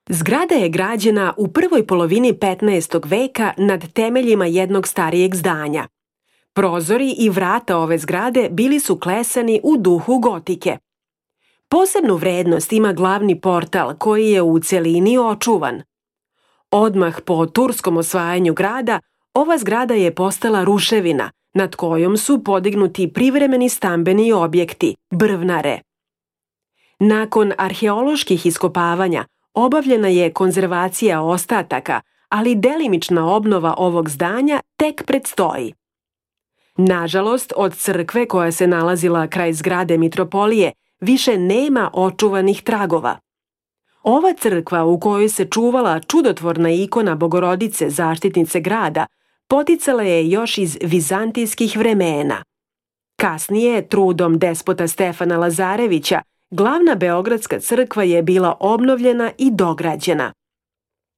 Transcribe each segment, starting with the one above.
Zgrada je građena u prvoj polovini 15. veka nad temeljima jednog starijeg zdanja. Prozori i vrata ove zgrade bili su klesani u duhu gotike. Posebnu vrednost ima glavni portal koji je u celini očuvan. Odmah po turskom osvajanju grada, ova zgrada je postala ruševina, nad kojom su podignuti privremeni stambeni objekti, brvnare. Nakon arheoloških iskopavanja, obavljena je konzervacija ostataka, ali delimična obnova ovog zdanja tek predstoji. Nažalost, od crkve koja se nalazila kraj zgrade mitropolije više nema očuvanih tragova. Ova crkva u kojoj se čuvala čudotvorna ikona Bogorodice, zaštitnice grada, poticala je još iz vizantijskih vremena. Kasnije, trudom despota Stefana Lazarevića, glavna beogradska crkva je bila obnovljena i dograđena.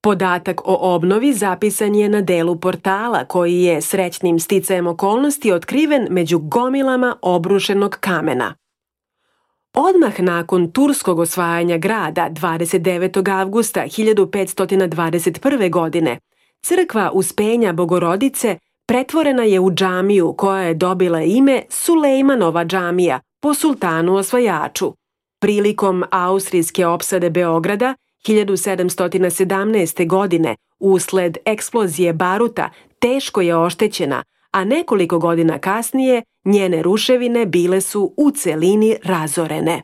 Podatak o obnovi zapisan je na delu portala koji je srećnim sticajem okolnosti otkriven među gomilama obrušenog kamena. Odmah nakon turskog osvajanja grada 29. avgusta 1521. godine, crkva Uspenja Bogorodice pretvorena je u džamiju koja je dobila ime Sulejmanova džamija po sultanu osvajaču. Prilikom austrijske opsade Beograda 1717. godine usled eksplozije baruta teško je oštećena, a nekoliko godina kasnije njene ruševine bile su u celini razorene.